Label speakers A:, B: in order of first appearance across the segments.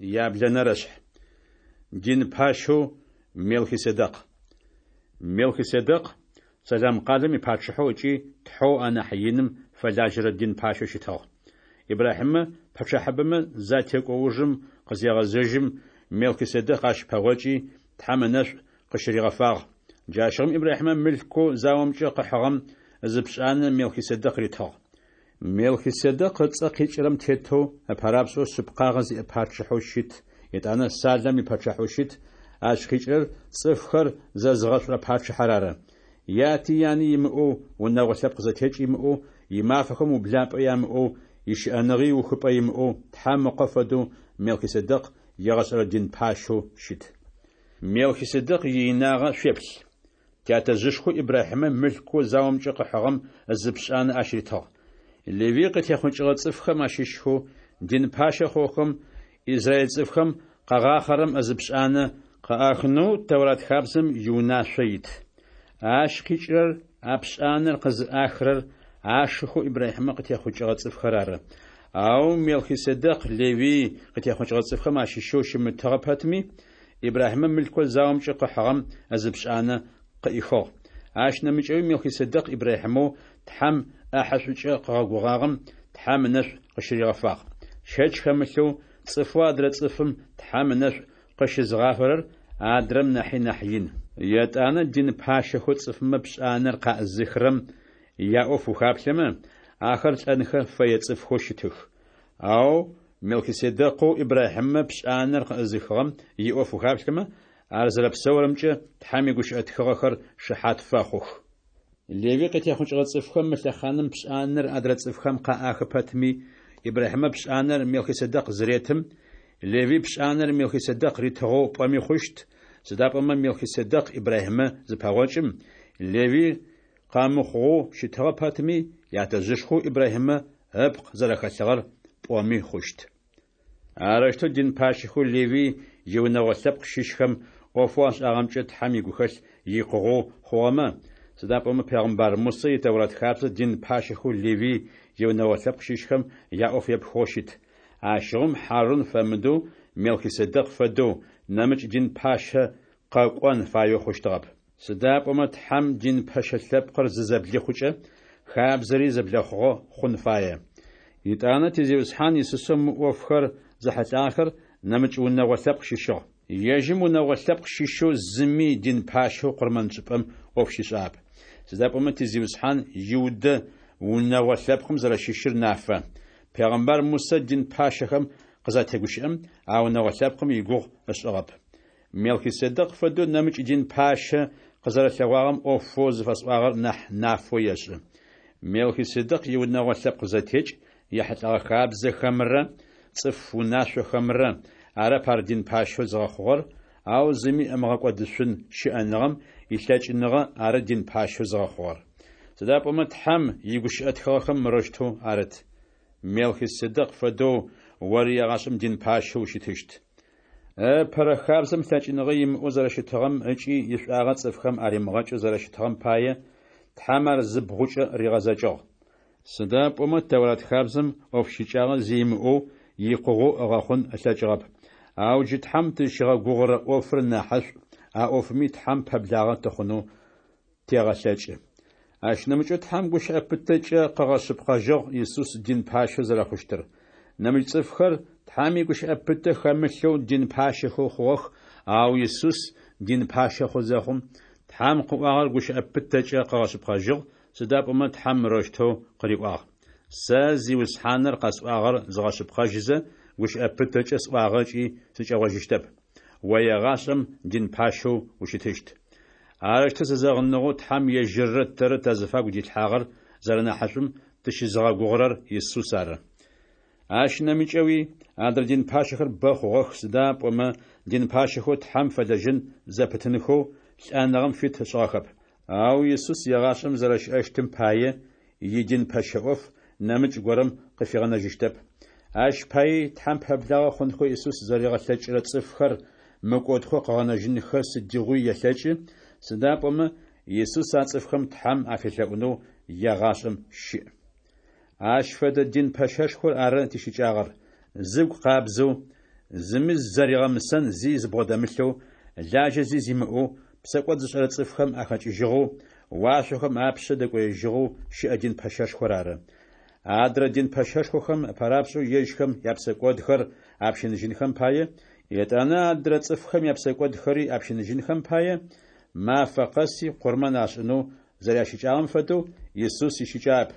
A: Яблэнэрэшъхь. Дин пащэу Мелхиседекъ. Мелхиседекъ Салам къалэм ипачъыхьэу ыкӏи Тхьэу анахь Иным фэлажьэрэ дин пащэу щытыгъ. Ибрахьимэ пэчъахьыбэмэ затекӏо ужым къызегъэзэжьым, Мелхиседекъ ащ пэгъокӏи, Тхьэм ынэшӏу къыщыригъэфагъ. Джащыгъум Ибрахьимэ мылъкоу заомкӏэ къыхьыгъэм ызыпшӏанэ Мелхиседекъ ритыгъ. Мелхиседекъ ыцӏэ къикӏырэм тетэу, ыпэрапшӏэу шъыпкъагъэ зиӏэ пачъыхьэу щыт, етӏанэ Салэм ипачъыхьэу щыт, ащ къикӏырэр цӏыфхэр зэзыгъэшӏурэ пачъыхьэр ары. Яти яни имыӏэу, унэгъо лъэпкъ зэтекӏ имыӏэу, имафэхэм ублапӏэ ямыӏэу, ищыӏэныгъи ухыпӏэ имыӏэу, Тхьэм Ыкъо фэдэу Мелхиседекъ егъэшӏэрэ дин пащэу щыт. Мелхиседекъ иинагъэ шъуеплъ! Тятэжъышхоу Ибрахьимэ мылъкоу заомкӏэ къыхьыгъэм ызыпшӏанэ ащ ритыгъ. Левый къытехъукӏыгъэ цӏыфхэм ащыщхэу дин пащэ хъугъэхэм израиль цӏыфхэм къагъахъэрэм ызыпшӏанэ къыӏахынэу Тэурат хабзэм иунашъо ит. Ащ къикӏырэр а пшӏанэр къызыӏахырэр ашыхэу Ибрахьимэ къытехъукӏыгъэ цӏыфхэр ары. Ау Мелхиседекъ Левый къытехъукӏыгъэ цӏыфхэм ащыщэу щымытыгъэ пэтми, Ибрахьимэ мылъкоу заомкӏэ къыхьыгъэм ызыпшӏанэ къыӏихыгъ. Ащ нэмыкӏэуи Мелхиседекъ Ибрахьимэу Тхьэм ӏэхьышӏукӏэ къыгъэгугъагъэм Тхьэм ынэшӏу къыщыригъэфагъ. Щэч хэмылъэу, цӏыфэу адрэ цӏыфым Тхьэм ынэшӏу къыщызыгъафэрэр адрэм нахьи нахь ин. Етӏанэ дин пащэхэу цӏыфмэ пшӏанэр къаӏызыхырэм яӏоф ухаплъэмэ, ахэр лӏэнхэ фэе цӏыфхэу щытых. Ау Мелхиседекъэу Ибрахьимэ пшӏанэр къыӏызыхыгъэм иӏоф ухаплъэмэ, ар зэрэпсэурэмкӏэ Тхьэм игущыӏэ тхыгъэхэр шыхьат фэхъух. Левый къытехъукӏыгъэ цӏыфхэм мы лъэхъаным пшӏанэр адрэ цӏыфхэм къаӏахы пэтми, Ибрахьимэ пшӏанэр Мелхиседекъ зыретым, Левый пшӏанэр Мелхиседекъ ритыгъэу пӏоми хъущт, сыда пӏомэ Мелхиседекъ Ибрахьимэ зыпэгъокӏым, Левый къэмыхъугъэу щытыгъэ пэтми, ятэжъышхоу Ибрахьимэ ыпкъ зэрэхэлъыгъэр пӏоми хъущт. Арэущтэу дин пащэхэу Левый иунэгъо лъэпкъ щыщхэм ӏофэу ашӏагъэмкӏэ Тхьэм игухэлъ икъугъэу хъугъэмэ, сыда пӏомэ пегъымбар Мусэ и Тэурат хабзэ дин пащэхэу Левый иунэгъо лъэпкъ щыщхэм яӏоф епхыгъэу щыт, ащыгъум Хьарун фэмыдэу Мелхиседекъ фэдэу нэмыкӏ дин пащэ къэкӏон фаеу хъущтыгъэп. Сыда пӏомэ Тхьэм дин пэщэ лъэпкъыр зызэблихъукӏэ, хабзэри зэблэхъугъэ хъун фае. Етӏанэ ти Зиусхьан Исусэу мы ӏофхэр зэхьылӏагъэхэр нэмыкӏ унэгъо лъэпкъ щыщыгъ. Ежьым унэгъо лъэпкъ щыщэу зыми дин пащэу къурмэншӏыпӏэм ӏоф щишӏагъэп. Сыда пӏомэ ти Зиусхьан Иудэ унэгъо лъэпкъым зэрэщыщыр нафэ. Пегъымбар Мусэ дин пащэхэм къызатегущыӏэм, а унэгъо лъэпкъым игугъу ышӏыгъэп. Мелхиседекъ фэдэу нэмыкӏ дин пащэ къызэрэлъэгъуагъэм ӏофэу зыфэсӏуагъэр нахь нафэу ешӏы. Мелхиседекъ иунэгъо лъэпкъ зэтекӏ ехьылӏэгъэ хабзэхэмрэ цӏыф унашъохэмрэ арэп ар дин пащэу зыгъэхъугъэр, ау зыми ымыгъэкӏодышъун щыӏэныгъэм илъэкӏыныгъэ ары дин пащэу зыгъэхъугъэр. Сыда пӏомэ Тхьэм игущыӏэ тхыгъэхэм мырэущтэу арыт: Мелхиседекъ фэдэу ори егъашӏэм дин пащэу ущытыщт. Ыпэрэ хабзэм лъэкӏыныгъэ имыӏэу зэрэщытыгъэм ыкӏи ишӏуагъэ цӏыфхэм аримыгъэкӏэу зэрэщытыгъэм пае, Тхьэм ар зыбгъукӏэ ригъэзэкӏыгъ. Сыда пӏомэ Тэурат хабзэм ӏоф щыкӏагъэ зи имыӏэу, икъугъэу ыгъэхъун ылъэкӏыгъэп. Ау джы Тхьэм тызщигъэгугъырэ ӏофыр нахьышӏу, а ӏофыми Тхьэм пэблагъэ тыхъунэу тегъэлъэкӏы. Ащ нэмыкӏэу Тхьэм гущыӏэ пытэкӏэ къыгъэшъыпкъэжьыгъ Исус дин пащэу зэрэхъущтыр. Нэмыкӏ цӏыфхэр Тхьэм игущыӏэ пытэ хэмылъэу дин пащэхэу хъугъэх, ау Исус дин пащэ хъу зэхъум, Тхьэм къыӏуагъэр гущыӏэ пытэкӏэ къыгъэшъыпкъэжьыгъ, сыда пӏомэ Тхьэм мырэущтэу къыриӏуагъ: Сэ Зиусхьаныр къэсӏуагъэр згъэшъыпкъэжьызэ, гущыӏэ пытэкӏэ сӏуагъэ ыкӏи сыкӏэгъожьыщтэп: О егъашӏэм дин пащэу ущытыщт. Арэущтэу зэзэгъыныгъэу Тхьэм ежьыррэ тэррэ тазыфагу дилъхьагъэр зэрэнахьышӏум тыщызыгъэгугъырэр Исус ары. Ащ нэмыкӏэуи адрэ дин пащэхэр бэ хъугъэх, сыда пӏомэ дин пащэхэу Тхьэм фэлэжьэн зэпытынхэу лӏэныгъэм фит ышӏыгъэхэп. Ау Исус егъашӏэм зэрэщыӏэщтым пае, идин пэщэ ӏоф нэмыкӏ горэм къыфигъэнэжьыщтэп. Ащ паий Тхьэм пэблагъэ хъунхэу Исус зэригъэлъэкӏырэ цӏыфхэр мыкӏодхэу къыгъэнэжьынхэ сыдигъуи елъэкӏы, сыда пӏомэ Исус а цӏыфхэм Тхьэм афелъэӏунэу егъашӏэм щыӏ. Ащ фэдэ дин пэщэшхор ары тищыкӏагъэр, зыгу къабзэу, Зыми зэригъэмысэн зи зыбгъодэмылъэу, лажьэ зи зимыӏэу, псэкӏод зышӏэрэ цӏыфхэм ахэкӏыжьыгъэу, уашъохэм апшъэ дэкӏоежьыгъэу щыӏэ дин пэщэшхор ары. Адрэ дин пэщэшхохэм ыпэрапшӏэу ежьхэм япсэкӏодхэр апщыныжьынхэм пае, етӏанэ адрэ цӏыфхэм япсэкӏодхэри апщыныжьынхэм пае, мафэ къэси къурмэн ашӏынэу зэрящыкӏагъэм фэдэу, Исус ищыкӏагъэп.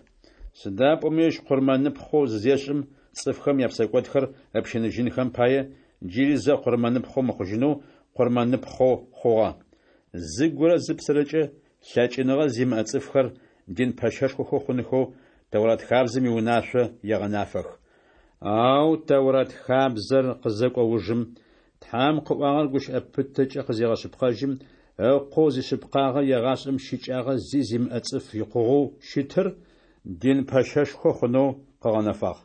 A: Сыда пӏомэ ежь къурмэныпхъэу зызешӏым, цӏыфхэм япсэкӏодхэр ыпщыныжьынхэм пае, джыри зэ къурмэныпхъэу мыхъужьынэу къурмэныпхъэу хъугъэ. Зыгурэ зыпсэрэкӏэ лъэкӏыныгъэ зимыӏэ цӏыфхэр дин пэщэшхохэу хъунхэу Тэурат хабзэм иунашъо егъэнафэх. Ау Тэурат хабзэр къызэкӏо ужым, Тхьэм къыӏуагъэр гущыӏэ пытэкӏэ къызегъэшъыпкъэжьым, Ыкъоу зишъыпкъагъэ егъашӏэм щыкӏагъэ зи зимыӏэ цӏыф икъугъэу щытыр дин пэщэшхо хъунэу къыгъэнэфагъ.